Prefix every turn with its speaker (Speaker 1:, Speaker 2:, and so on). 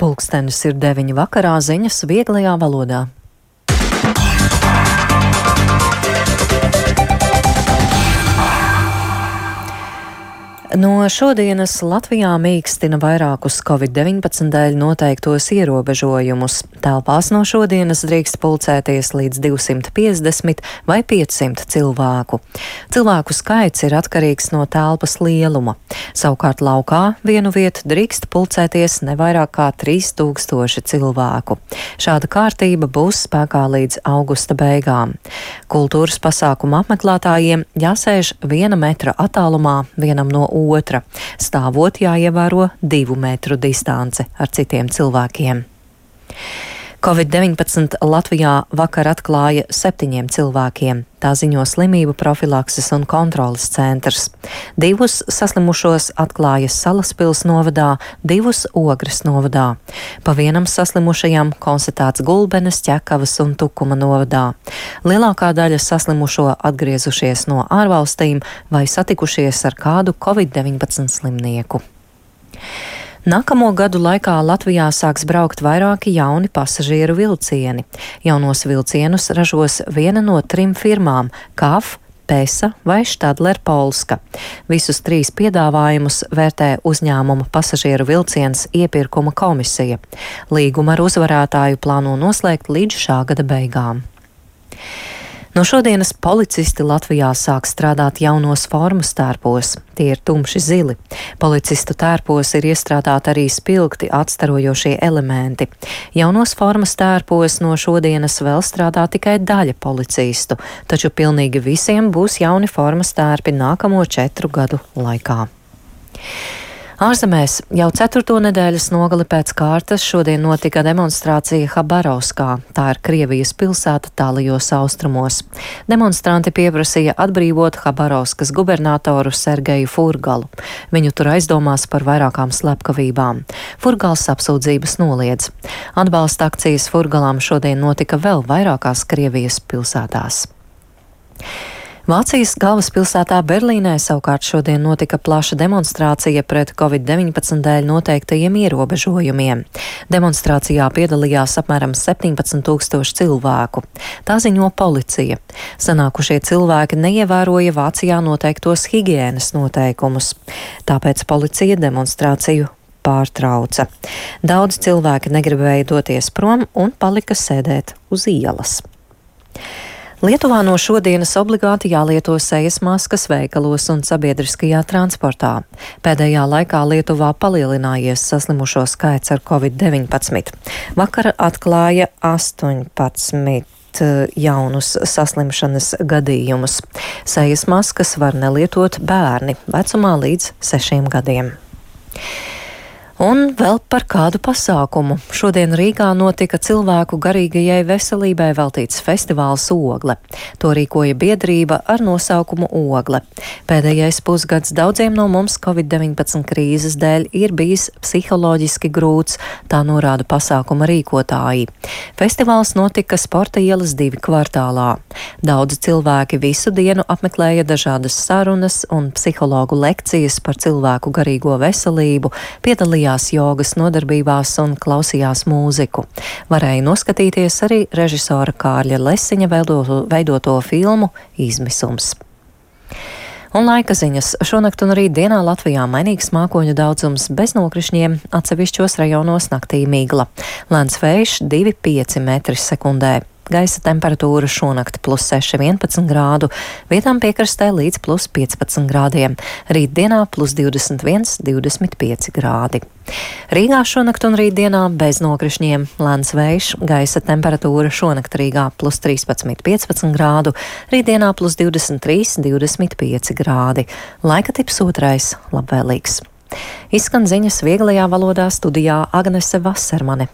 Speaker 1: Pulkstenis ir 9 vakarā, ziņas vieglajā valodā. No šodienas Latvijā mīkstina vairākus Covid-19 dēļ noteiktos ierobežojumus. Telpās no šodienas drīkst pulcēties līdz 250 vai 500 cilvēku. Cilvēku skaits ir atkarīgs no telpas lieluma. Savukārt laukā vienu vietu drīkst pulcēties ne vairāk kā 3000 cilvēku. Šāda kārtība būs spēkā līdz augusta beigām. Kultūras pasākuma apmeklētājiem jāsēž 1 metra attālumā vienam no otra. Stāvot jāievēro 2 metru distance ar citiem cilvēkiem. Covid-19 Latvijā vakar atklāja 7 cilvēkiem. Tā ziņo Slimību profilakses un kontroles centrs. 2 saslimušos atklāja Salaspils novadā, 2 Ogres novadā. Pa vienam saslimušajam konstatēts Gulbenes, Ķekavas un Tukuma novadā. Lielākā daļa saslimušo atgriezušies no ārvalstīm vai satikušies ar kādu Covid-19 slimnieku. Nākamo gadu laikā Latvijā sāks braukt vairāki jauni pasažieru vilcieni. Jaunos vilcienus ražos viena no 3 firmām - KAF, Pesa vai Štadler Polska. Visus 3 piedāvājumus vērtē uzņēmuma pasažieru vilciens iepirkuma komisija. Līgumu ar uzvarētāju plāno noslēgt līdz šā gada beigām. No šodienas policisti Latvijā sāk strādāt jaunos formas tērpos. Tie ir tumši zili. Policistu tērpos ir iestrādāti arī spilgti atstarojošie elementi. Jaunos formas tērpos no šodienas vēl strādā tikai daļa policistu, taču pilnīgi visiem būs jauni formas tērpi nākamo 4 gadu laikā. Ārzemēs jau 4. nedēļas nogali pēc kārtas šodien notika demonstrācija Habarovskā. Tā ir Krievijas pilsēta tālajos austrumos. Demonstranti pieprasīja atbrīvot Habarovskas gubernatoru Sergeju Furgalu. Viņu tur aizdomās par vairākām slepkavībām. Furgals apsūdzības noliedz. Atbalsta akcijas Furgalam šodien notika vēl vairākās Krievijas pilsētās. Vācijas galvaspilsētā Berlīnē savukārt šodien notika plaša demonstrācija pret Covid-19 dēļ noteiktajiem ierobežojumiem. Demonstrācijā piedalījās apmēram 17 000 cilvēku. Tā ziņo policija. Sanākušie cilvēki neievēroja Vācijā noteiktos higienas noteikumus. Tāpēc policija demonstrāciju pārtrauca. Daudz cilvēki negribēja doties prom un palika sēdēt uz ielas. Lietuvā no šodienas obligāti jālieto sejas maskas veikalos un sabiedriskajā transportā. Pēdējā laikā Lietuvā palielinājies saslimušo skaits ar Covid-19. Vakar atklāja 18 jaunus saslimšanas gadījumus. Sejas maskas var nelietot bērni vecumā līdz 6 gadiem. Un vēl par kādu pasākumu. Šodien Rīgā notika cilvēku garīgajai veselībai veltīts festivāls Ogle. To rīkoja biedrība ar nosaukumu Ogle. Pēdējais pusgads daudziem no mums Covid-19 krīzes dēļ ir bijis psiholoģiski grūts, tā norāda pasākuma rīkotāji. Festivāls notika Sporta ielas 2 kvartālā. Daudzi cilvēki visu dienu apmeklēja dažādas sarunas un psihologu lekcijas par cilvēku garīgo veselību, piedalījās jogas nodarbībās un klausījās mūziku. Varēja noskatīties arī režisora Kārļa Lesiņa veidoto filmu Izmisums. Un laika ziņas. Šonakt un rīt dienā Latvijā mainīgs mākoņu daudzums bez nokrišņiem, atsevišķos rajonos naktī migla. Lēns vējš 2,5 metri sekundē. Gaisa temperatūra šonakt +6, 11 grādu, vietām piekrastē līdz +15 grādiem. Rītdienā +21, 25 grādi. Rīgā šonakt un rītdienā bez nokrišņiem, lēns vējš, gaisa temperatūra šonakt Rīgā +13, 15 grādu, rītdienā +23, 25 grādi. Laika tips otrais - labvēlīgs. Izskan ziņas vieglajā valodā, studijā Agnese Vasermane.